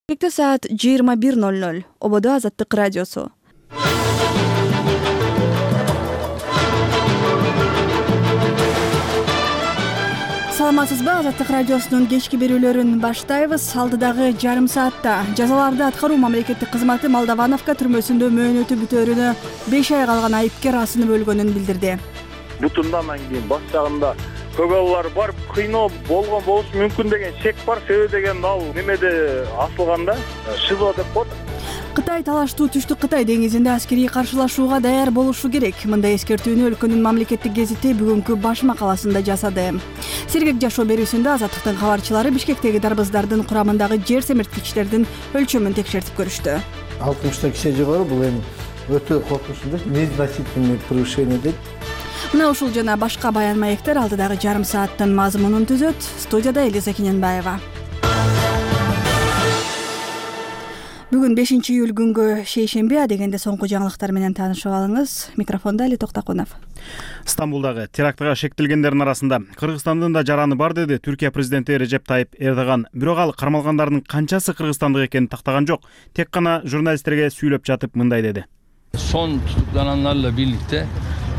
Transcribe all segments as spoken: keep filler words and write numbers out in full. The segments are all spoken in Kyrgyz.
Кечээ саат жыйырма бир ноль ноль. Ободо Азаттык радиосу. Саламатсызбы? Азаттык радиосунун кечки берүүлөрүн баштайбыз. Алдыдагы жарым саатта жазаларды аткаруу мамлекеттик кызматы Молдовановка түрмөсүндө мөөнөтү бүтөөрүнө беш ай калган айыпкер асынып өлгөнүн билдирди. Бутундан кийин баш жагында көк алар бар, кыйноо болгон болушу мүмкүн деген шек бар. Себеби деген ал немеде асылганда ШИЗО деп коет. Кытай талаштуу Түштүк Кытай деңизинде аскерий каршылашууга даяр болушу керек. Мындай эскертүүнү өлкөнүн мамлекеттик гезити бүгүнкү баш макаласында жасады. Сергек жашоо берүүсүндө Азаттыктын кабарчылары Бишкектеги дарбыздардын курамындагы жер семирткичтердин өлчөмүн текшертип көрүштү. алтымыштан киши жогору бул эми өтө коркунучтуу, незначительный превышение дейт. Мына ушул жана башка баян маектер алдыдагы жарым сааттын мазмунун түзөт. Студияда Элиза Кененбаева. Бүгүн бешинчи июль күнгө шейшемби, адегенде соңку жаңылыктар менен таанышып алыңыз. Микрофондо Али Токтакунов. Стамбулдагы терактыга шектелгендердин арасында Кыргызстандын да жараны бар, деди Түркия президенти Режеп Тайип Эрдоган. Бирок ал кармалгандардын канчасы кыргызстандык экенин тактаган жок. Тек гана журналисттерге сүйлөп жатып мындай деди. Son tutuklananlarla birlikte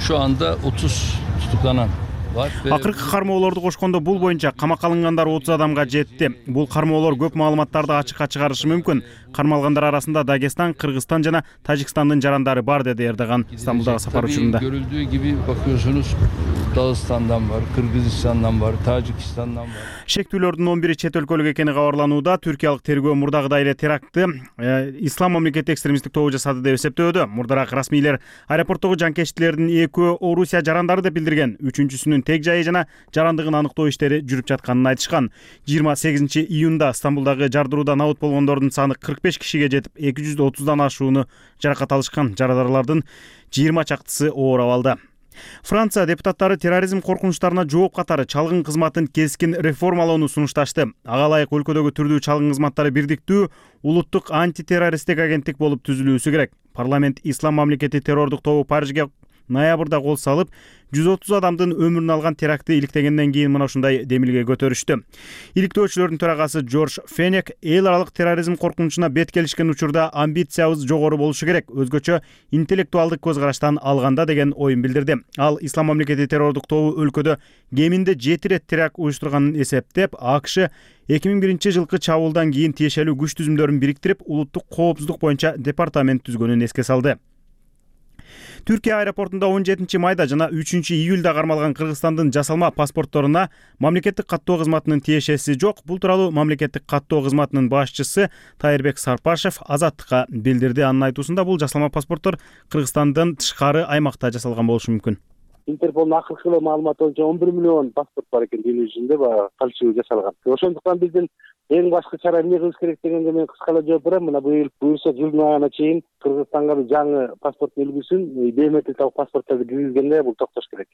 şu anda otuz tutuklanan var. Акыркы кармоолорду кошкондо бул боюнча камакка алынгандар отуз адамга жетти. Бул кармоолор көп маалыматтарды ачыкка чыгарышы мүмкүн. Кармалгандар арасында Дагестан, Кыргызстан жана Тажикстандын жарандары бар, деди Эрдоган Стамбулдагы сапар учурунда. Görüldüğü gibi bakıyorsunuz Dağıstan'dan var, Kırgızistan'dan var, Tacikistan'dan var. Шектүүлөрдүн он бири чет өлкөлүк экени кабарланууда. Түркиялык тергөө мурдагыдай эле терактты э, ислам мамлекети экстремисттик тобу жасады деп эсептөөдө. Мурдараак расмийлер аэропорттогу жанкечтилердин экөө Орусия жарандары деп билдирген. Үчүнчүсүнүн тег жайы жана жарандыгын аныктоо иштери жүрүп жатканын айтышкан. жыйырма сегизинчи июнда Стамбулдагы жардыруудан абут болгондордун саны кырк беш кишиге жетип, эки жүз отуздан ашууну жаракат алышкан. Жарадарлардын жыйырма чактысы оор абалда. Франция депутаттары терроризм коркунучтарына жооп катары чалгын кызматын кескин реформалоону сунушташты. Ага ылайык өлкөдөгү түрдүү чалгын кызматтары бирдиктүү улуттук антитеррористтик агенттик болуп түзүлүүсү керек. Парламент ислам мамлекети террордук тобу Парижге ноябрда кол салып, жүз отуз адамдын өмүрүн алган терактты иликтегенден кийин мына ушундай демилге көтөрүштү. Иликтөөчүлөрдүн төрагасы Джордж Фенек эл аралык терроризм коркунучуна бет келишкен учурда амбициябыз жогору болушу керек, өзгөчө интеллектуалдык көз караштан алганда деген оюн билдирди. Ал ислам мамлекети террордук тобу өлкөдө кеминде жети ирет теракт уюштурганын эсептеп, АКШ эки миң биринчи жылкы чабуулдан кийин тиешелүү күч түзүмдөрүн бириктирип, улуттук коопсуздук боюнча департамент түзгөнүн эске салды. Түркия аэропортунда он жетинчи майда жана үчүнчү июлда кармалган Кыргызстандын жасалма паспортторуна мамлекеттик каттоо кызматынын тиешеси жок. Бул тууралуу мамлекеттик каттоо кызматынын башчысы Тайырбек Сарпашев Азаттыкка билдирди. Анын айтуусунда бул жасалма паспорттор Кыргызстандан тышкары аймакта жасалган болушу мүмкүн. Интерполдун акыркы маалыматы боюнча он бир миллион паспорт бар экен эл жүзүндө, баягы фальшивый жасалган. Ошондуктан биздин эң башкы чара эмне кылыш керек дегенге мен кыскалап жооп берем. Мына быйыл буюрса жылдын аягына чейин Кыргызстанга жаңы паспорт үлгүсүн, биометрикалык паспорттарды киргизгенде бул токтош керек.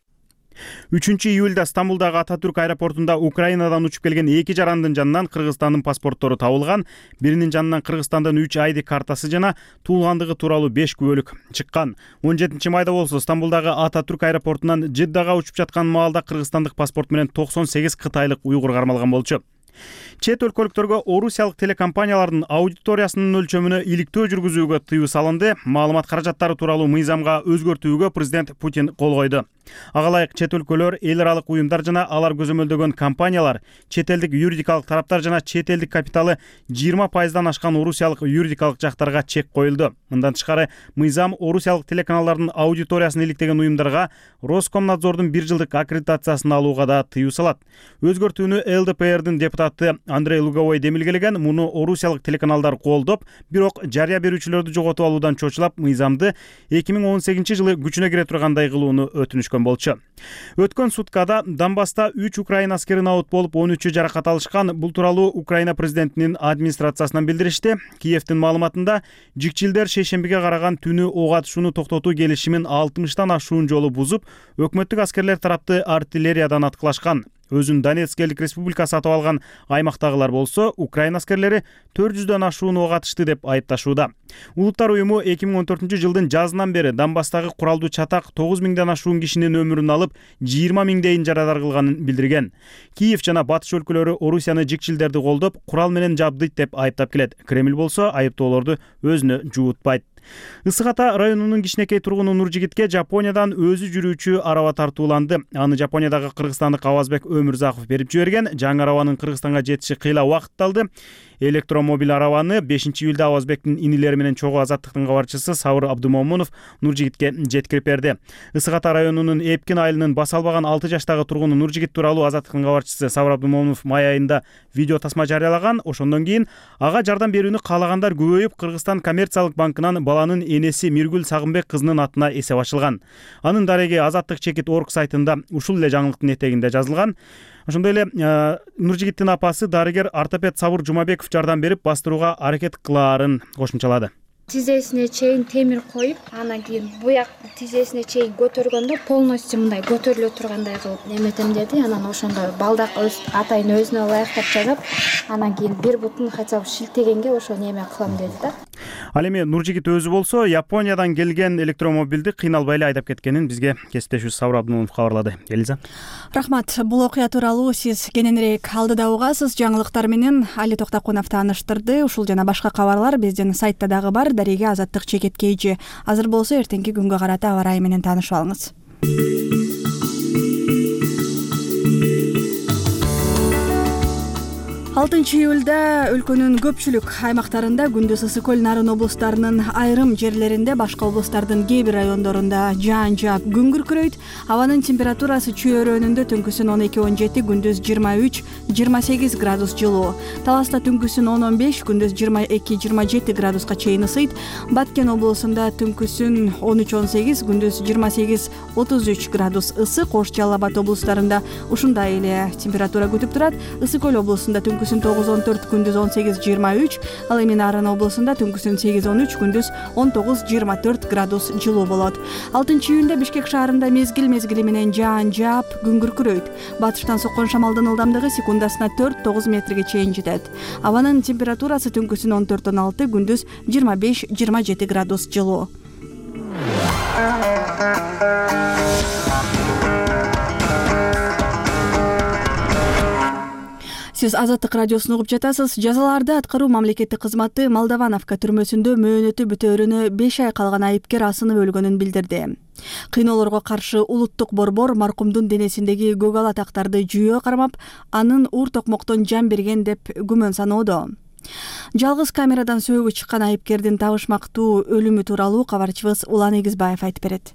үчүнчү июлда Стамбулдагы Ататүрк аэропортунда Украинадан учуп келген эки жарандын жанынан Кыргызстандын паспорттору табылган. Биринин жанынан Кыргызстандын үч айди картасы жана туулгандыгы тууралуу беш күбөлүк чыккан. он жетинчи майда болсо Стамбулдагы Ататүрк аэропортунан Жиддага учуп жаткан маалда кыргызстандык паспорт менен токсон сегиз кытайлык уйгур кармалган болчу. Чет өлкөлүктөргө орусиялык телекомпаниялардын аудиториясынын өлчөмүнө иликтөө жүргүзүүгө тыюу салынды. Маалымат каражаттары тууралуу мыйзамга өзгөртүүгө президент Путин кол койду. Ага ылайык чет өлкөлөр, эл аралык уюмдар жана алар көзөмөлдөгөн компаниялар, чет элдик юридикалык тараптар жана чет элдик капиталы жыйырма пайыздан ашкан орусиялык юридикалык жактарга чек коюлду. Мындан тышкары, мыйзам орусиялык телеканалдардын аудиториясын иликтеген уюмдарга Роскомнадзордун бир жылдык аккредитациясын алууга да тыюу салат. Өзгөртүүнү ЛДПРдин депутаты Андрей Луговой демилгелеген. Муну орусиялык телеканалдар колдоп, бирок жарыя берүүчүлөрдү жоготуп алуудан чочулап, мыйзамды эки миң он сегизинчи жылы күчүнө кире тургандай кылууну өтүнүшкөн болчу. Өткөн суткада Донбасста үч Украина аскерин абут болуп, он үчү жаракат алышкан. Бул тууралуу Украина президентинин администрациясынан билдиришти. Киевдин маалыматында жикчилдер шейшембиге караган түнү ок атышууну токтотуу келишимин алтымыштан ашуун жолу бузуп, өкмөттүк аскерлер тарапты артиллериядан аткылашкан. Өзүн Донецк элдик республика сатып алган аймактагылар болсо Украина аскерлери төрт жүздөн ашуун ок атышты деп айыпташууда. Улуттар уюму эки миң он төртүнчү жылдын жазынан бери Донбасстагы куралдуу чатак тогуз миңден ашуун кишинин өмүрүн алып, жыйырма миңдейин жарадар кылганын билдирген. Киев жана батыш өлкөлөрү Орусияны жикчилдерди колдоп, курал менен жабдыйт деп айыптап келет. Кремль болсо айыптоолорду өзүнө жуутпайт. Ысык Ата районунун кичинекей тургуну Нуржигитке Жапониядан өзү жүрүүчү араба тартууланды. Аны Жапониядагы кыргызстандык Авазбек Өмүрзаков берип жиберген. Жаңы арабанын Кыргызстанга жетиши кыйла убакыт алды. Электромобиль арабаны бешинчи июлда Авазбектин инилери менен чогуу Азаттыктын кабарчысы Сабыр Абдумомунов Нуржигитке жеткирип берди. Ысык Ата районунун Эпкин айылынын баса албаган алты жаштагы тургуну Нуржигит тууралуу Азаттыктын кабарчысы Сабыр Абдумомунов май айында видео тасма жарыялаган. Ошондон кийин ага жардам берүүнү каалагандар көбөйүп, Кыргызстан коммерциялык банкынан баланын энеси Миргүл Сагынбек кызынын атына эсеп ачылган. Анын дареги Азаттык чекит орг сайтында ушул эле жаңылыктын этегинде жазылган. Ошондой эле Нуржигиттин апасы дарыгер ортопед Сабыр Жумабеков жардам берип бастырууга аракет кылаарын кошумчалады. Тизесине чейин темир коюп, анан кийин буяк тизесине чейин көтөргөндө полностью мындай көтөрүлө тургандай кылып неметем деди. Анан ошондо балдак атайын өзүнө ылайыктап жасап, анан кийин бир бутун хотя бы шилтегенге ошо неме кылам деди да. Ал эми Нуржигит өзү болсо Япониядан келген электромобилди кыйналбай эле айдап кеткенин бизге кесиптешибиз Сабыр Абдумомунов кабарлады. Элиза. Рахмат. Бул окуя тууралуу сиз кененирээк алдыда угасыз. Жаңылыктар менен Али Токтокунов тааныштырды. Ушул жана башка кабарлар биздин сайтта дагы бар. Дареге Азаттык чекит кейжи. Азыр болсо эртеңки күнгө карата аба ырайы менен таанышып алыңыз. алтынчы июлда өлкөнүн көпчүлүк аймактарында күндүз ысык көл Нарын облустарынын айрым жерлеринде, башка облустардын кээ бир райондорунда жаан жаап күн күркүрөйт. Абанын температурасы чөйрөнүндө түнкүсүн он эки он жети, күндүз жыйырма үч жыйырма сегиз градус жылуу. Таласта түнкүсүн он он беш, күндүз жыйырма эки жыйырма жети градуска чейин ысыйт. Баткен облусунда түнкүсүн он үч он сегиз, күндүз жыйырма сегиз отуз үч градус ысык. Ош, Жалал Абад облустарында ушундай эле температура күтүп турат. Ысык көл облусунда түнкүсүн тогуз он төрт, күндүз он сегиз жыйырма үч, ал эми Нарын облусунда түнкүсүн сегиз он үч, күндүз он тогуз жыйырма төрт градус жылуу болот. алтынчы июнда Бишкек шаарында мезгил мезгили менен жаан жаап күн күркүрөйт. Батыштан соккон шамалдын ылдамдыгы секундасына төрт тогуз метрге чейин жетет. Абанын температурасы түнкүсүн он төрт он алты, күндүз жыйырма беш жыйырма жети градус жылуу. Сиз Азаттык радиосун угуп жатасыз. Жазаларды аткаруу мамлекеттик кызматы Молдовановка түрмөсүндө мөөнөтү бүтөөрүнө беш ай калган айыпкер асынып өлгөнүн билдирди. Кыйноолорго каршы улуттук борбор маркумдун денесиндеги көгала тактарды жүйөө кармап, анын уур токмоктон жан берген деп күмөн саноодо. Жалгыз камерадан сөөгү чыккан айыпкердин табышмактуу өлүмү тууралуу кабарчыбыз Улан Эгизбаев айтып берет.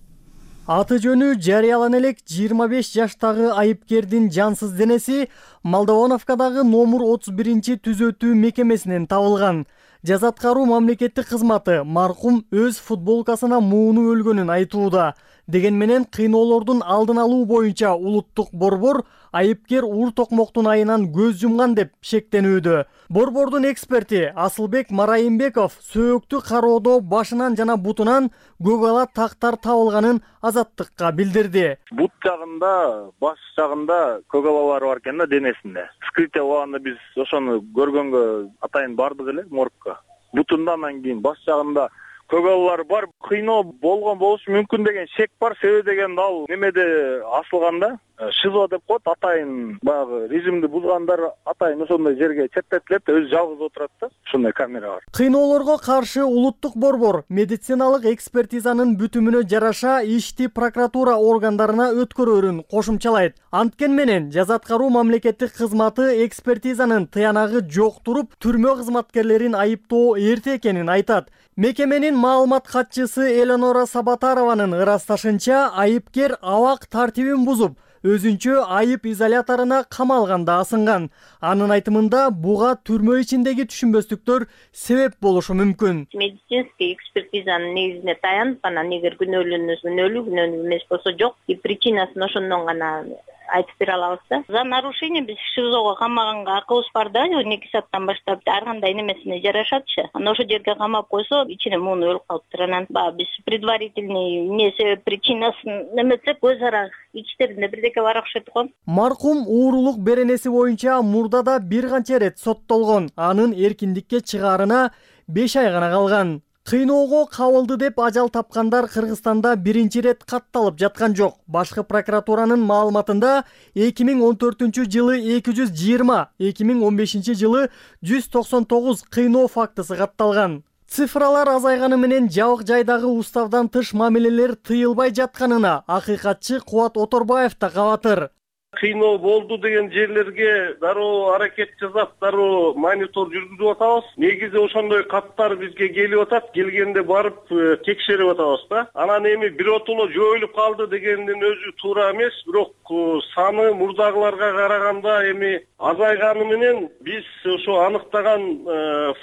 Аты жөнү жарыялана элек жыйырма беш жаштагы айыпкердин жансыз денеси Молдовановкадагы номер отуз биринчи түзөтүү мекемесинен табылган. Жаза аткаруу мамлекеттик кызматы маркум өз футболкасына муунуп өлгөнүн айтууда. Деген менен кыйноолордун алдын алуу боюнча улуттук борбор айыпкер уур токмоктун айынан көз жумган деп шектенүүдө. Борбордун эксперти Асылбек Марайымбеков сөөктү кароодо башынан жана бутунан көгала тактар табылганын Азаттыкка билдирди. Бут жагында, баш жагында көгалалар бар экен да денесинде. Вскрытие болгондо биз ошону көргөнгө атайын бардык эле моргко. Бутунда анан кийин баш жагында көгалалар бар. Кыйноо болгон болушу мүмкүн деген шек бар. Себеби деген ал немеде асылганда ШИЗО деп коет, атайын баягы режимди бузгандар атайын ошондой жерге четтетилет, өзү жалгыз отурат да. Ошондой камера бар. Кыйноолорго каршы улуттук борбор медициналык экспертизанын бүтүмүнө жараша ишти прокуратура органдарына өткөрөрүн кошумчалайт. Анткени менен жаза аткаруу мамлекеттик кызматы экспертизанын тыянагы жок туруп, түрмө кызматкерлерин айыптоо эрте экенин айтат. Мекеменин маалымат катчысы Элеонора Сабатарованын ырасташынча, айыпкер абак тартибин бузуп, өзүнчө айып изоляторуна камалганда асынган. Анын айтымында буга түрмө ичиндеги түшүнбөстүктөр себеп болушу мүмкүн. Медицинский экспертизанын негизине таянып, анан эгер күнөөлөнүү күнөөлүү күнөөлүү эмес болсо жок, и причинасын ошондон гана айтып бере алабыз да. За нарушение биз ШИЗОго камаганга акыбыз бар да, он эки сааттан баштап ар кандай немесине жарашатчы. Анан ошол жерге камап койсо, ичине муну өлүп калыптыр. Анан баягы биз предварительный эмне себеп причинасын неметсек, өз ара ичтеринде бирдеке бар окшойт го. Маркум уурулук беренеси боюнча мурдада бир канча ирет соттолгон. Анын эркиндикке чыгаарына беш ай гана калган. Кыйноого кабылды деп ажал тапкандар Кыргызстанда биринчи ирет катталып жаткан жок. Башкы прокуратуранын маалыматында эки миң он төртүнчү жылы эки жүз жыйырма, эки миң он бешинчи жылы жүз токсон тогуз кыйноо фактысы катталган. Цифралар азайганы менен жабык жайдагы уставдан тыш мамилелер тыйылбай жатканына акыйкатчы Кубат Оторбаев да кабатыр. Кыйноо болду деген жерлерге дароо аракет жасап, дароо монитор жүргүзүп атабыз. Негизи ошондой каттар бизге келип атат, келгенде барып текшерип атабыз да. Анан эми биротоло жоюлуп калды дегендин өзү туура эмес, бирок саны мурдагыларга караганда эми азайганы менен биз ошо аныктаган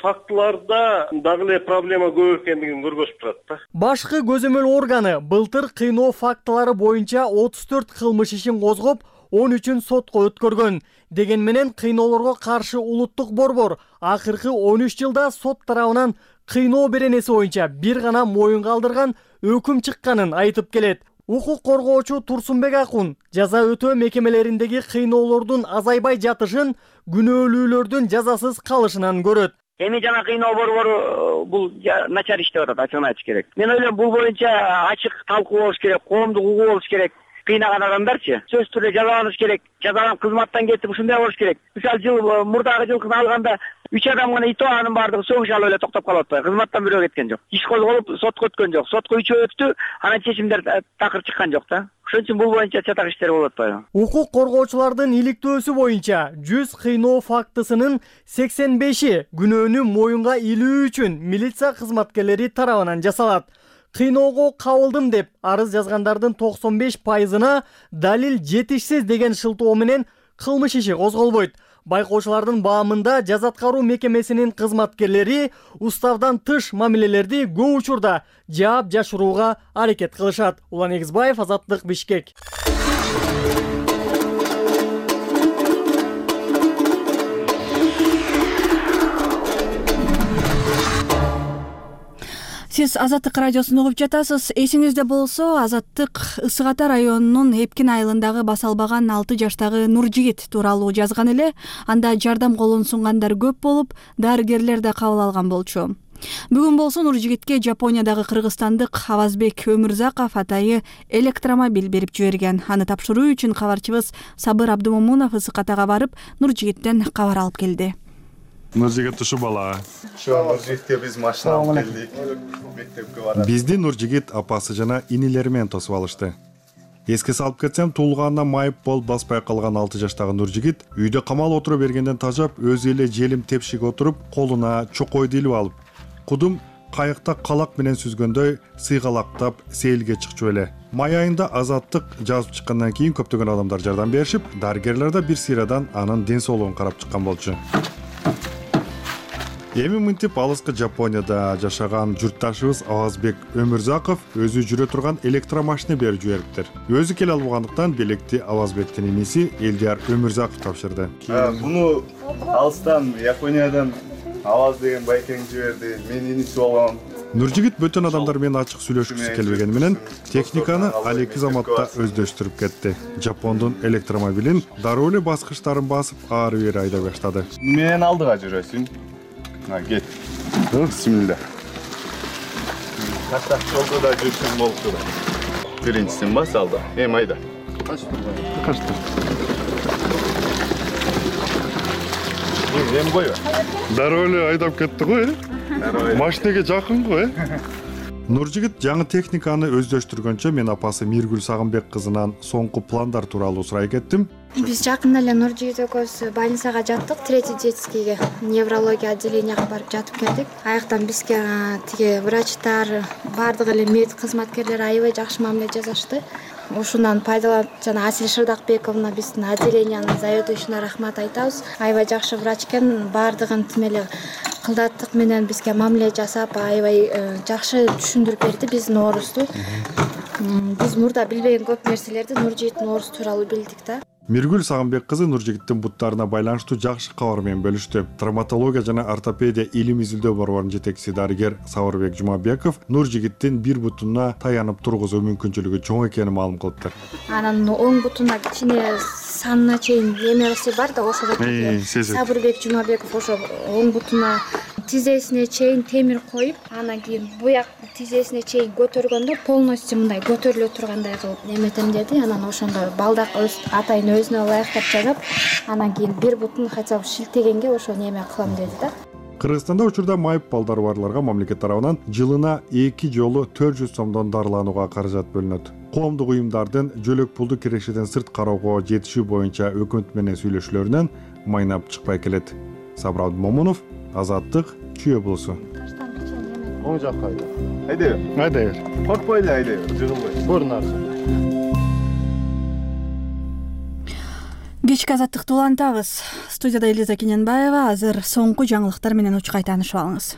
фактыларда дагы эле проблема көп экендигин көргөзүп турат да. Башкы көзөмөл органы былтыр кыйноо фактылары боюнча отуз төрт кылмыш ишин козгоп, он үчүн сотко өткөргөн. Деген менен кыйноолорго каршы улуттук борбор акыркы он үч жылда сот тарабынан кыйноо беренеси боюнча бир гана моюнга алдырган өкүм чыкканын айтып келет. Укук коргоочу Турсунбек Акун жаза өтөө мекемелериндеги кыйноолордун азайбай жатышын күнөөлүүлөрдүн жазасыз калышынан көрөт. Эми жана кыйноо борбору бул начар иштеп атат, ачыгын айтыш керек. Мен ойлойм, бул боюнча ачык талкуу болуш керек, коомдук угуу болуш керек. Кыйнаган адамдарчы сөзсүз түрдө жазаланыш керек, жазаланып кызматтан кетип ушундай болуш керек. Мисалы жыл мурдагы жылкыны алганда үч адам гана ито, анын баардыгы соң шалып эле токтоп калып атпайбы? Кызматтан бирөө кеткен жок. Иш козголуп, сотко өткөн жок. Сотко үчөө өттү, анан чечимдер такыр чыккан жок да. Ошон үчүн бул боюнча чатак иштер болуп атпайбы? Укук коргоочулардын иликтөөсү боюнча жүз кыйноо фактысынын сексен беши күнөөнү моюнга илүү үчүн милиция кызматкерлери тарабынан жасалат. Кыйноого кабылдым деп арыз жазгандардын токсон беш пайызына далил жетишсиз деген шылтоо менен кылмыш иши козголбойт. Байкоочулардын баамында жаза аткаруу мекемесинин кызматкерлери уставдан тыш мамилелерди көп учурда жаап жашырууга аракет кылышат. Улан Эгизбаев, Азаттык, Бишкек. Сиз Азаттык радиосун угуп жатасыз. Эсиңизде болсо, Азаттык Ысык Ата районунун Эпкин айылындагы баса албаган алты жаштагы Нуржигит тууралуу жазган эле. Анда жардам колун сунгандар көп болуп, дарыгерлер да кабыл алган болчу. Бүгүн болсо Нуржигитке Жапониядагы кыргызстандык Авазбек Өмүрзаков атайы электромобиль берип жиберген. Аны тапшыруу үчүн кабарчыбыз Сабыр Абдымомунов Ысык Атага барып, Нуржигиттен кабар алып келди. Нуржигит ушу бала. Ушу Нуржигитке биз машина алып келдик. Мектепке барат. Бизди Нуржигит апасы жана инилери менен тосуп алышты. Эске салып кетсем, туулганына майып болуп баспай калган алты жаштагы Нуржигит үйдө камалып отура бергенден тажап, өзү эле желим тепшиге отуруп, колуна чокойду илип алып, кудум кайыкта калак менен сүзгөндөй сыйгалактап сейилге чыкчу эле. Май айында Азаттык жазып чыккандан кийин көптөгөн адамдар жардам беришип, дарыгерлер да бир сыйрадан анын ден соолугун карап чыккан болчу. Эми мынтип алыскы Жапонияда жашаган журтташыбыз Авазбек Өмүрзаков өзү жүрө турган электромашина берип жибериптир. Өзү келе албагандыктан белекти Авазбектин иниси Элдияр Өмүрзаков тапшырды. Буну алыстан Япониядан Аваз деген байкең жиберди. Мен иниси болгом. Нуржигит бөтөн адамдар менен ачык сүйлөшкүсү келбегени менен техниканы алеки заматта өздөштүрүп кетти. Жапондун электромобилин дароо эле баскычтарын басып ары бери айдап баштады. Мен алдыга жүрөсүң. На, кет. Бисмилла. Таштак жолдо да жүрсөң болчу. Биринчисин бас алды. Эми айда. Качты. Эми койбо. Дароо эле айдап кетти го, э? Машинеге жакын го, э? Нуржигит жаңы техниканы өздөштүргөнчө мен апасы Миргүл Сагынбек кызынан соңку пландар тууралуу сурай кеттим. Биз жакында эле Нуржигит экөөбүз больницага жаттык, третий детскийге, неврология отделенияга барып жатып келдик. Аяктан бизге тиги врачтар, баардык эле мед кызматкерлери аябай жакшы мамиле жасашты. Ушундан пайдаланып, жана Асил Шырдакбековна биздин отделениянын заведующийине рахмат айтабыз. Аябай жакшы врач экен, баардыгын тимеле кылдаттык менен бизге мамиле жасап, аябай жакшы түшүндүрүп берди биздин оорубузду. Биз мурда билбеген көп нерселерди Нуржигиттин оорусу тууралуу билдик да. Миргүл Сагынбек кызы Нуржигиттин буттарына байланыштуу жакшы кабар менен бөлүштү. Травматология жана ортопедия илим изилдөө борборунун жетекчиси дарыгер Сабырбек Жумабеков Нуржигиттин бир бутуна таянып тургузуу мүмкүнчүлүгү чоң экенин маалым кылыптыр. Анан оң бутуна кичине санына чейин эмеси бар да, ошого Сабырбек Жумабеков ошо оң бутуна тизесине чейин темир коюп, анан кийин буяк тизесине чейин көтөргөндө полностью мындай көтөрүлө тургандай кылып неметем деди. Анан ошондо балдак өз атайын өзүнө ылайыктап жасап, анан кийин бир бутун хотя бы шилтегенге ошо неме кылам деди да. Кыргызстанда учурда майып балдары барларга мамлекет тарабынан жылына эки жолу төрт жүз сомдон дарыланууга каражат бөлүнөт. Коомдук уюмдардын жөлөк пулду кирешеден сырт кароого жетишүү боюнча өкмөт менен сүйлөшүүлөрүнөн майнап чыкпай келет. Сабыр Абдымомунов, Азаттык, Чүй облусу. Оң жакка айда. Айдай бер. Айдай бер. Коркпой эле айдай бер, жыгылбай. Бурун арзан. Кечки азаттыкты улантабыз. Студияда Элиза Кененбаева. Азыр соңку жаңылыктар менен учкай таанышып алыңыз.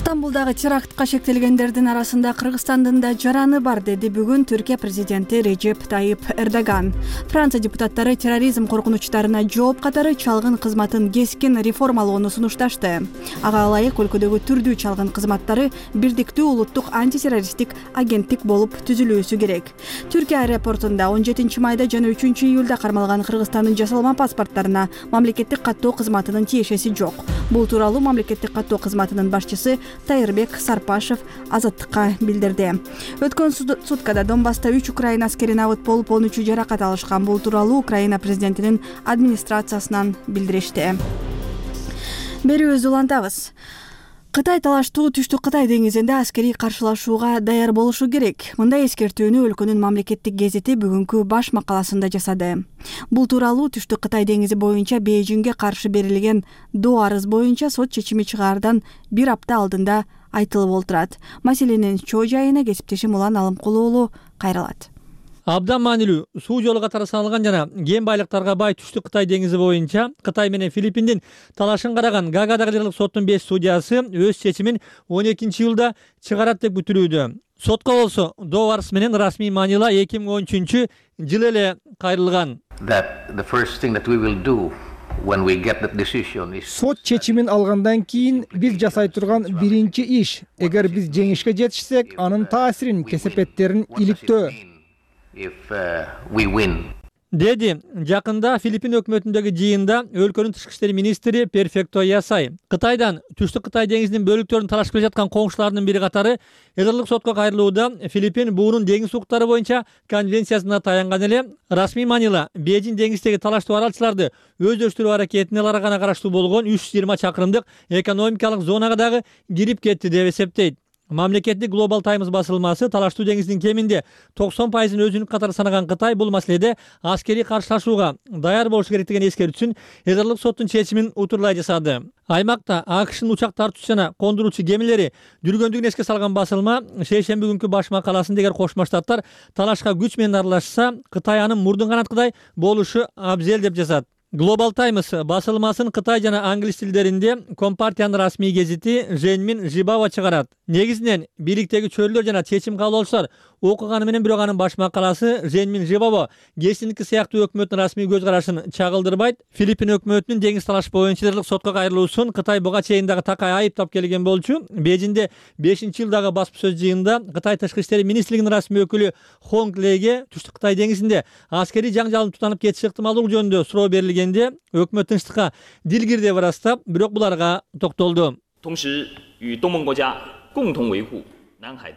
Стамбулдагы терактка шектелгендердин арасында Кыргызстандын да жараны бар, деди бүгүн Түркия президенти Режеп Тайып Эрдоган. Франция депутаттары терроризм коркунучтарына жооп катары чалгын кызматын кескин реформалоону сунушташты. Ага ылайык өлкөдөгү түрдүү чалгын кызматтары бирдиктүү улуттук антитеррористтик агенттик болуп түзүлүүсү керек. Түркия аэропортунда он жетинчи майда жана үчүнчү июлда кармалган Кыргызстандын жасалма паспорттарына мамлекеттик каттоо кызматынын тиешеси жок. Бул тууралуу мамлекеттик каттоо кызматынын башчысы Тайырбек Сарпашев Азаттыкка билдирди. Өткөн суткада Донбасста үч Украина аскери набыт болуп, он үчү жаракат алышкан. Бул тууралуу Украина президентинин администрациясынан билдиришти. Берүүбүздү улантабыз. Кытай талаштуу Түштүк Кытай деңизинде аскерий каршылашууга даяр болушу керек. Мындай эскертүүнү өлкөнүн мамлекеттик гезити бүгүнкү баш макаласында жасады. Бул тууралуу Түштүк Кытай деңизи боюнча Бейжиңге каршы берилген доо арыз боюнча сот чечими чыгаардан бир апта алдында айтылып олтурат. Маселенин чоо жайына кесиптешим Улан Алымкулуу уулу кайрылат. Абдан маанилүү суу жолу катары саналган жана кен байлыктарга бай Түштүк Кытай деңизи боюнча Кытай менен Филиппиндин талашын караган Гаагадагы Жергиликтүү соттун беш судьясы өз чечимин он экинчи июлда чыгарат деп күтүлүүдө. Сотко болсо доо арыз менен расмий маанила эки миң он үчүнчү жылы эле кайрылган. Сот чечимин алгандан кийин биз жасай турган биринчи иш, эгер биз жеңишке жетишсек, анын таасирин, кесепеттерин иликтөө. If uh, we win. Деди жакында Филиппин өкмөтүндөгү жыйында өлкөнүн тышкы иштер министри Перфекто Ясай Кытайдан Түштүк Кытай деңизинин бөлүктөрүн талашып келе жаткан коңшуларынын бири катары эдерлик сотко кайрылууда Филиппин буунун деңиз укуктары боюнча конвенциясына таянган эле. Расмий маанила Бейжиң деңиздеги талаштуу аралчыларды өздөштүрүү аракетине аларга гана караштуу болгон үч жүз жыйырма чакырымдык экономикалык зонага дагы кирип кетти деп эсептейт. Мамлекеттик Global Times басылмасы талаштуу деңиздин кеминде токсон пайызын өзүнүн катары санаган Кытай бул маселеде аскерий каршылашууга даяр болушу керек деген эскертүүсүн эдерлик соттун чечимин утурлай жасады. Аймакта АКШнын учак тартуучу жана кондуруучу кемелери жүргөндүгүн эске салган басылма шейшемби күнкү баш макаласында эгер Кошмо Штаттар талашка күч менен аралашса, Кытай анын мурдун канаткыдай болушу абзел деп жазат. Global Times басылмасын Кытай жана англис тилдеринде Компартиянын расмий гезити Женмин Жибао чыгарат. Негизинен бийликтеги чөйрөлөр жана чечим кабыл алуучулар окуганы менен бирок анын баш макаласы Женмин Жибао гезитиники сыяктуу өкмөттүн расмий көз карашын чагылдырбайт. Филиппин өкмөтүнүн деңиз талаш боюнча эдерлик сотко кайрылуусун Кытай буга чейин дагы такай айыптап келген болчу. Бейжиңде бешинчи жылдагы басма сөз жыйынында Кытай тышкы иштер министрлигинин расмий өкүлү Хонг Леге Түштүк Кытай деңизинде аскерий жаңжалдын тутанып кетиши ыктымалдуулугу жөнүндө суроо берилгенде өкмөт тынчтыкка дилгир деп ырастап, бирок буларга токтолду.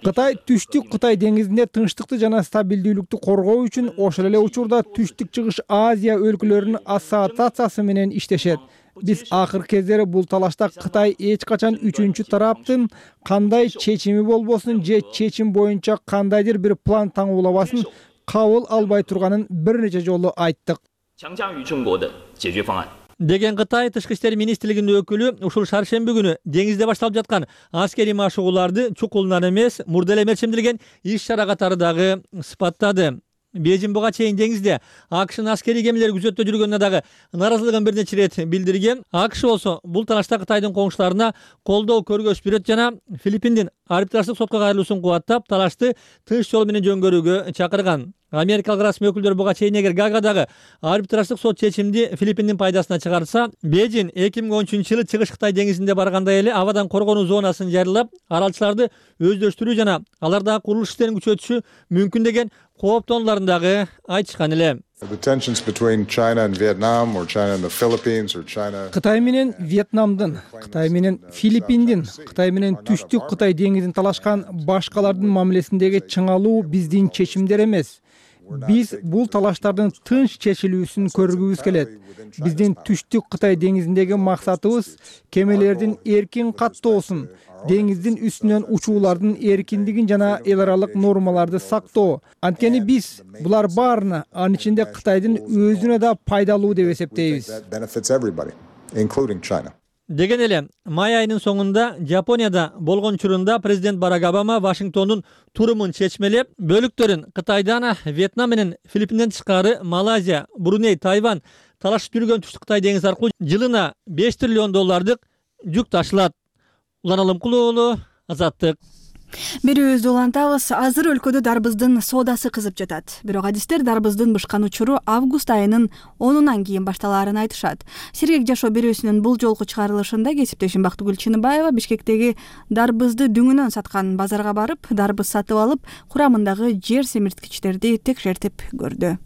Кытай Түштүк Кытай деңизинде тынчтыкты жана стабилдүүлүктү коргоо үчүн ошол эле учурда Түштүк Чыгыш Азия өлкөлөрүнүн ассоциациясы менен иштешет. Биз акыркы кездери бул талашта Кытай эч качан үчүнчү тараптын кандай чечими болбосун же чечим боюнча кандайдыр бир план таңуулабасын кабыл албай турганын бир нече жолу айттык деген Кытай тышкы иштер министрлигинин өкүлү ушул шаршемби күнү деңизде башталып жаткан аскерий машыгууларды чукулунан эмес, мурда эле мерчемделген иш чара катары дагы сыпаттады. Бейжин буга чейин деңизде АКШнын аскерий кемелери күзөттө жүргөнүнө дагы нааразылыгын бир нече ирет билдирген. АКШ болсо бул талашта Кытайдын коңшуларына колдоо көргөзүп берет жана Филиппиндин арбитраждык сотко кайрылуусун кубаттап, талашты тынч жол менен жөнгөрүүгө чакырган. Америкалык расмий өкүлдөр буга чейин эгер Гаагадагы арбитраждык сот чечимди Филиппиндин пайдасына чыгарса, Бейжин эки миң он үчүнчү жылы Чыгыш Кытай деңизинде баргандай эле абадан коргонуу зонасын жарыялап, аралчыларды өздөштүрүү жана алардагы курулуш иштерин күчөтүшү мүмкүн деген кооптонууларын дагы айтышкан эле. Кытай менен Вьетнамдын, Кытай менен Филиппиндин, Кытай менен Түштүк Кытай деңизин талашкан башкалардын мамилесиндеги чыңалуу биздин чечимдер эмес. Биз бул талаштардын тынч чечилүүсүн көргүбүз келет. Биздин Түштүк Кытай деңизиндеги максатыбыз кемелердин эркин каттоосун, деңиздин үстүнөн учуулардын эркиндигин жана эл аралык нормаларды сактоо. Анткени биз булар баарына, анын ичинде Кытайдын өзүнө да пайдалуу деп эсептейбиз. Деген эле май айынын соңунда Жапонияда болгон учурунда президент Барак Обама Вашингтондун турумун чечмелеп, бөлүктөрүн Кытайдан, Вьетнам менен Филиппинден тышкары Малайзия, Бруней, Тайвань талашып жүргөн Түштүк Кытай деңизи аркылуу жылына беш триллион доллардык жүк ташылат. Улан Алымкулуу уулу, Азаттык. Берүүбүздү улантабыз. Азыр өлкөдө дарбыздын соодасы кызып жатат. Бирок адистер дарбыздын бышкан учуру август айынын онунан кийин башталаарын айтышат. Сергек жашоо берүүсүнүн бул жолку чыгарылышында кесиптешим Бактыгүл Чыныбаева Бишкектеги дарбызды дүңүнөн саткан базарга барып, дарбыз сатып алып, курамындагы жер семирткичтерди текшертип көрдү.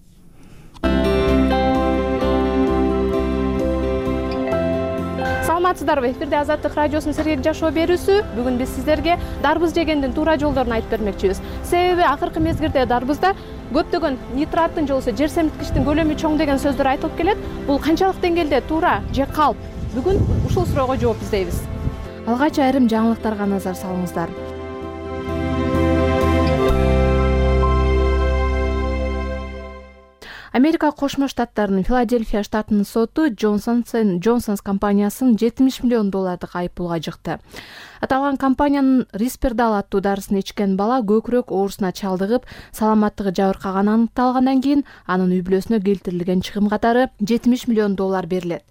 Саламатсыздарбы? Эфирде Азаттык радиосунун Сергек жашоо берүүсү. Бүгүн биз сиздерге дарбыз жегендин туура жолдорун айтып бермекчибиз. Себеби акыркы мезгилде дарбызда көптөгөн нитраттын же болбосо жер семирткичтин көлөмү чоң деген сөздөр айтылып келет. Бул канчалык деңгээлде туура же калп? Бүгүн ушул суроого жооп издейбиз. Алгач айрым жаңылыктарга назар салыңыздар. Америка Кошмо Штаттарынын Филадельфия штатынын соту Джонсонс энд Джонсонс компаниясын жетимиш миллион доллардык айыппулга жыкты. Аталган компаниянын Риспerdal аттуу дарысын ичкен бала көкүрөк оорусуна чалдыгып, саламаттыгы жабыркаганы аныкталгандан кийин анын үй бүлөсүнө келтирилген чыгым катары жетимиш миллион доллар берилет.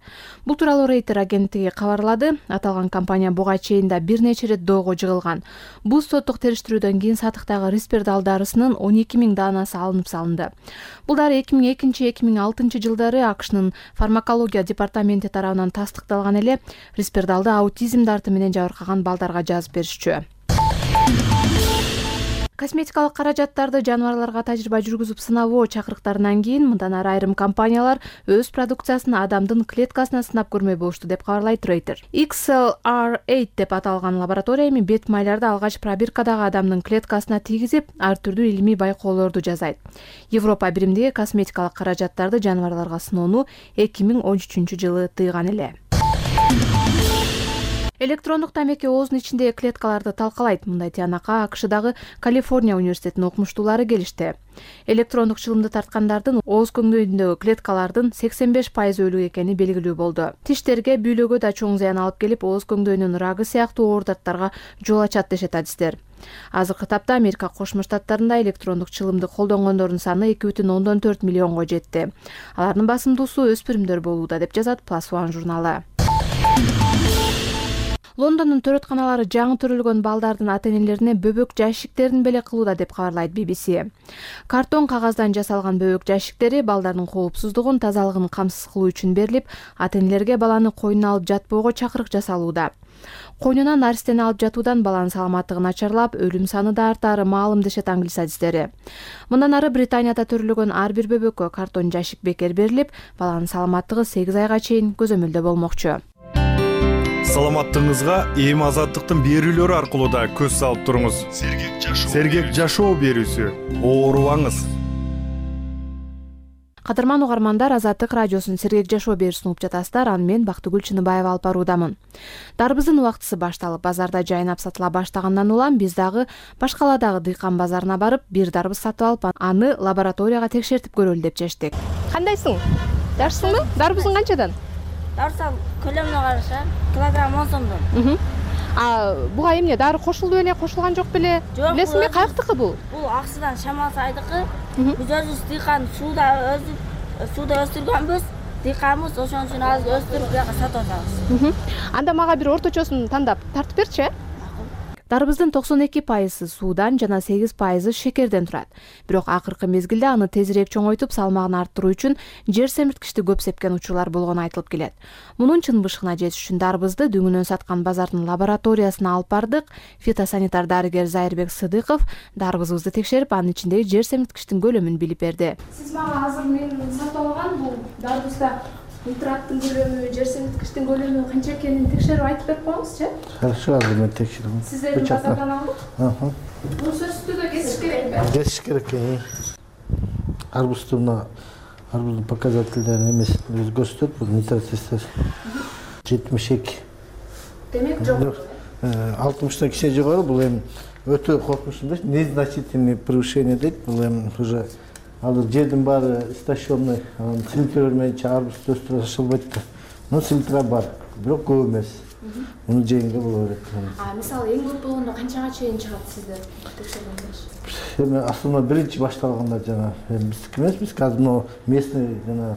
Бул тууралуу Рейтер агенттиги кабарлады. Аталган компания буга чейин да бир нече ирет доого жыгылган. Бул соттук териштирүүдөн кийин сатыктагы Риспerdal дарысынын он эки миң даанасы алынып салынды. Бул дары эки миң экинчи эки миң алтынчы жылдары АКШнын фармакология департаменти тарабынан тастыкталган эле. Риспerdalды аутизм дарты менен жабыркаган балдарга жазып беришчү. Косметикалык каражаттарды жаныбарларга тажрыйба жүргүзүп сынабоо чакырыктарынан кийин мындан ары айрым компаниялар өз продукциясын адамдын клеткасына сынап көрмөй болушту деп кабарлайт Рейтер. икс эл ар восемь деп аталган лаборатория эми бет майларды алгач пробиркадагы адамдын клеткасына тийгизип, ар түрдүү илимий байкоолорду жасайт. Европа биримдиги косметикалык каражаттарды жаныбарларга сыноону эки миң он үчүнчү жылы тыйган эле. Электрондук тамеки оозунун ичиндеги клеткаларды талкалайт. Мындай тыянакка АКШдагы Калифорния университетинин окумуштуулары келишти. Электрондук чылымды тарткандардын ооз көңдөйүндөгү клеткалардын сексен беш пайызы өлүк экени белгилүү болду. Тиштерге, бүйлөгө да чоң зыян алып келип, ооз көңдөйүнүн рагы сыяктуу оор дарттарга жол ачат дешет адистер. Азыркы тапта Америка Кошмо Штаттарында электрондук чылымды колдонгондордун саны эки бүтүн ондон төрт миллионго жетти. Алардын басымдуусу өспүрүмдөр болууда деп жазат Plus One журналы. Лондондун төрөтканалары жаңы төрөлгөн балдардын ата-энелерине бөбөк жайшиктерин белек кылууда деп кабарлайт би би си. Картон кагаздан жасалган бөбөк жайшиктери балдардын коопсуздугун, тазалыгын камсыз кылуу үчүн берилип, ата-энелерге баланы койнуна алып жатпоого чакырык жасалууда. Койнуна наристени алып жатуудан баланын саламаттыгы начарлап, өлүм саны да артаары маалым дешет англис адистери. Мындан ары Британияда төрөлгөн ар бир бөбөккө картон жайшик бекер берилип, баланын саламаттыгы сегиз айга чейин көзөмөлдө болмокчу. Саламаттыгыңызга эми азаттыктын берүүлөрү аркылуу да көз салып туруңуз. Сергек жашоо берүүсү. Оорубаңыз. Кадырман угармандар, Азаттык радиосунун Сергек жашоо берүүсүн угуп жатасыздар. Аны мен Бактыгүл Чыныбаева алып баруудамын. Дарбыздын убактысы башталып, базарда жайнап сатыла баштагандан улам биз дагы Башкаладагы дыйкан базарына барып, бир дарбыз сатып алып, аны лабораторияга текшертип көрөлү деп чечтик. Кандайсың? Жакшысыңбы? Дарбызың канчадан? Дарса көлөмүнө караша килограмм он сомдон. А буга эмне дары кошулду беле, кошулган жок беле? Билесиңби, каяктыкы бул? Бул Аксыдан Шамал сайдыкы. Биз өзүбүз дыйкан сууда өзү сууда өстүргөнбүз. Дыйканбыз, ошон үчүн азыр өстүрүп бияка сатып атабыз. Анда мага бир орточосун тандап тартып берчи. Дарбыздын токсон эки пайызы суудан жана сегиз пайызы шекерден турат. Бирок акыркы мезгилде аны тезирээк чоңойтуп, салмагын арттыруу үчүн жер семирткичти көп сепкен учурлар болгону айтылып келет. Мунун чын бышыгына жетиш үчүн дарбызды дүңүнөн саткан базардын лабораториясына алып бардык. Фитосанитар дарыгер Зайырбек Сыдыков дарбызыбызды текшерип, анын ичиндеги жер семирткичтин көлөмүн билип берди. Сиз мага азыр мен сатып алган бул дарбызда нитраттын көлөмү, жер семирткичтин көлөмү канча экенин текшерип айтып берип коюңузчу. Хорошо, азыр мен текшерем. Сиздердин базардан алдык. Аха. Бул сөзсүз түрдө кесиш керекпи? Кесиш керек. Арбузду мына арбуздун показательдери эмесин өзү көрсөтөт. Бул нитрат жетимиш эки. Демек жок. алтымыштан кичине жогору. Бул эми өтө коркунучтуу эмес, незначительный превышение дейт. Бул эми уже азыр жердин баары стационный, селтирер менен арбузду өстүрө ашылбайт да. Но селтира бар, бирок көп эмес. Муну жегенге боло берет. А мисалы эң көп болгондо канчага чейин чыгат сиздер текшергендер? Эми основной биринчи башталганда жана биздики эмес, биз азыр мына местный жана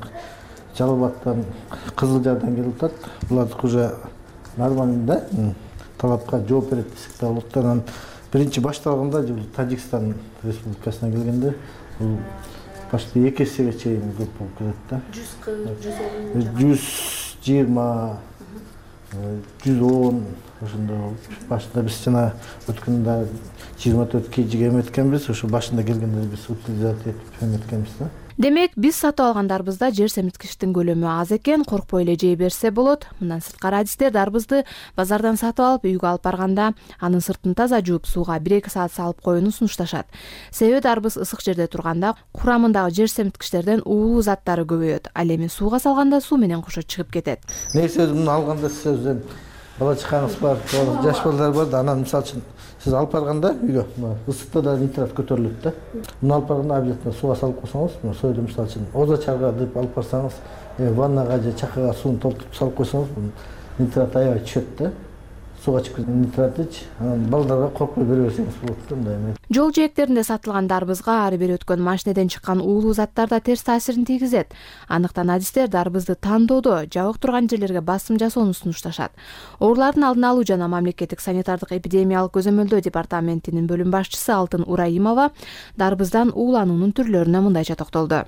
Жалал Абадтан, Кызыл Жардан келип атат. Булардык уже нормальный да, талапка жооп берет десек да болот. Анан биринчи башталганда Тажикстан Республикасына келгенде бул почти эки эсеге чейин көп болуп кетет да. жүз кырк, жүз элүү. жүз жыйырма, жүз он ошондой болуп. Башында биз жана өткөндө жыйырма төрт кежиге эметкенбиз, ошо башында келгенде биз утилизация этип эметкенбиз да. Демек, биз сатып алган дарбызда жер семирткичтин көлөмү аз экен, коркпой эле жей берсе болот. Мындан сырткары адистер дарбызды базардан сатып алып, үйгө алып барганда анын сыртын таза жууп, сууга бир-эки саат салып коюуну сунушташат. Себеби дарбыз ысык жерде турганда курамындагы жер семирткичтерден уулуу заттары көбөйөт. Ал эми сууга салганда суу менен кошо чыгып кетет. Негизи муну алганда сиз бала чакаңыз бар, жаш балдар бар да, анан мисалы үчүн сиз алып барганда үйгө ысыкта да нитрат көтөрүлөт да. Муну алып барганда обязательно сууга салып койсоңуз, союлу мисалы үчүн оза чарга деп алып барсаңыз, ваннага же чакага сууну толтуруп салып койсоңуз, нитрат аябай түшөт да. Сууга чыгып нитрат ич, анан балдарга коркпой бере берсеңиз болот да мындай. Жол жээктеринде сатылган дарбызга ары бери өткөн машинеден чыккан уулуу заттар да терс таасирин тийгизет. Андыктан адистер дарбызды тандоодо жабык турган жерлерге басым жасоону сунушташат. Оорулардын алдын алуу жана мамлекеттик санитардык эпидемиялык көзөмөлдөө департаментинин бөлүм башчысы Алтын Ураимова дарбыздан уулануунун түрлөрүнө мындайча токтолду.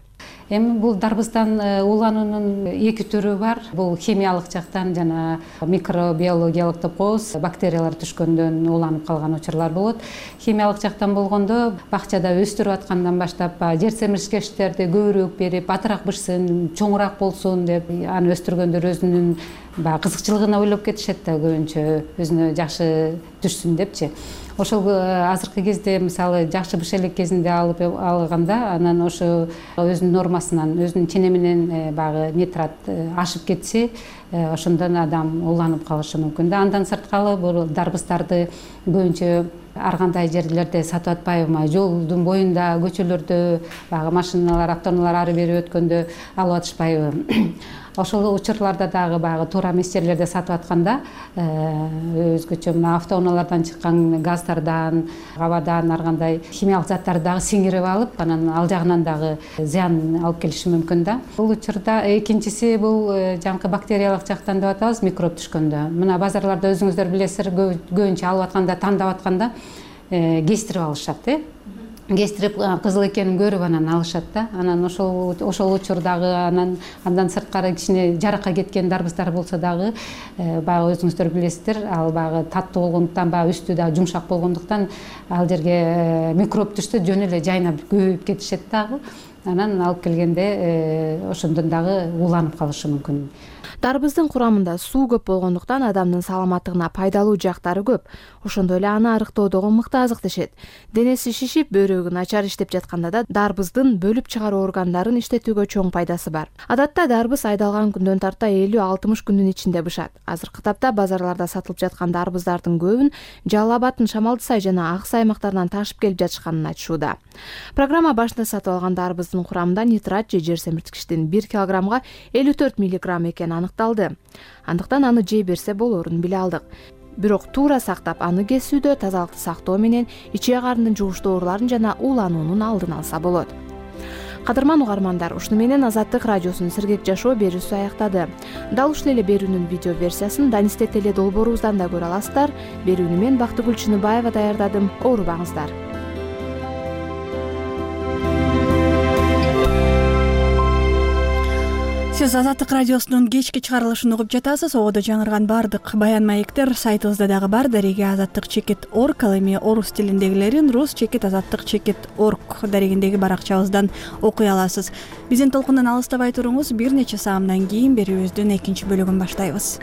Эми бул дарбыздан уулануунун эки түрү бар. Бул химиялык жактан жана микробиологиялык деп коебуз, бактериялар түшкөндөн ууланып калган учурлар болот. Химиялык жактан болгондо бакчада өстүрүп аткандан баштап жер семирткичтерди көбүрөөк берип, атыраак бышсын, чоңураак болсун деп аны өстүргөндөр өзүнүн баягы кызыкчылыгына ойлоп кетишет да, көбүнчө өзүнө жакшы түшсүн депчи. Ошол азыркы кезде мисалы жакшы быш элек кезинде алып алганда, анан ошо өзүнүн нормасынан, өзүнүн ченеминен баягы нитрат ашып кетсе, ошондон адам ууланып калышы мүмкүн да. Андан сырткары бул дарбыздарды көбүнчө ар кандай жерлерде сатып атпайбы, жолдун боюнда, көчөлөрдө, баягы машиналар, автоунаалар ары бери өткөндө алып атышпайбы. Ошол учурларда дагы баягы туура эмес жерлерде сатып атканда өзгөчө мына автоунаалардан чыккан газдардан, абадан ар кандай химиялык заттарды дагы сиңирип алып, анан ал жагынан дагы зыян алып келиши мүмкүн да. Бул учурда экинчиси бул жанакы бактериялык жактан деп атабыз, микроб түшкөндө. Мына базарларда өзүңүздөр билесиздер, көбүнчө алып атканда, тандап атканда кестирип алышат, э? Кестирип кызыл экенин көрүп анан алышат да. Анан ошол ошол учурдагы анан андан сырткары кичине жаракка кеткен дарбыздар болсо дагы баягы өзүңүздөр билесиздер, ал баягы таттуу болгондуктан, баягы үстү дагы жумшак болгондуктан ал жерге микроб түшсө жөн эле жайнап көбөйүп кетишет дагы. Анан алып келгенде ошондон дагы ууланып калышы мүмкүн. Дарбыздын курамында суу көп болгондуктан адамдын саламаттыгына пайдалуу жактары көп. Ошондой эле аны арыктоодогу мыкты азык дешет. Денеси шишип, бөйрөгү начар иштеп жатканда да дарбыздын бөлүп чыгаруу органдарын иштетүүгө чоң пайдасы бар. Адатта дарбыз айдалган күндөн тарта элүү алтымыш күндүн ичинде бышат. Азыркы тапта базарларда сатылып жаткан дарбыздардын көбүн Жалал Абадтын Шамалды Сай жана Ак Сай аймактарынан ташып келип жатышканын айтышууда. Программа башында сатып алган дарбыздын курамында нитрат же жер семирткичтин бир килограммга элүү төрт миллиграмм экени аныкталды. Андыктан аны жей берсе болоорун биле алдык. Бирок туура сактап аны кесүүдө тазалыкты сактоо менен ичек карындын жугуштуу ооруларын жана уулануунун алдын алса болот. Кадырман угармандар, ушуну менен Азаттык радиосунун Сергек жашоо берүүсү аяктады. Дал ушул эле берүүнүн видео версиясын Данисте теле долбоорубуздан да көрө аласыздар. Берүүнү мен Бактыгүл Чыныбаева даярдадым. Оорубаңыздар. Сиз Азаттык радиосунун кечки чыгарылышын угуп жатасыз. Ободо жаңырган баардык баян маектер сайтыбызда дагы бар. Дареги азаттык чекит точка орг, ал эми орус тилиндегилерин рус чекит азаттык чекит точка орг дарегиндеги баракчабыздан окуй аласыз. Биздин толкундан алыстабай туруңуз. Бир нече саамдан кийин берүүбүздүн экинчи бөлүгүн баштайбыз.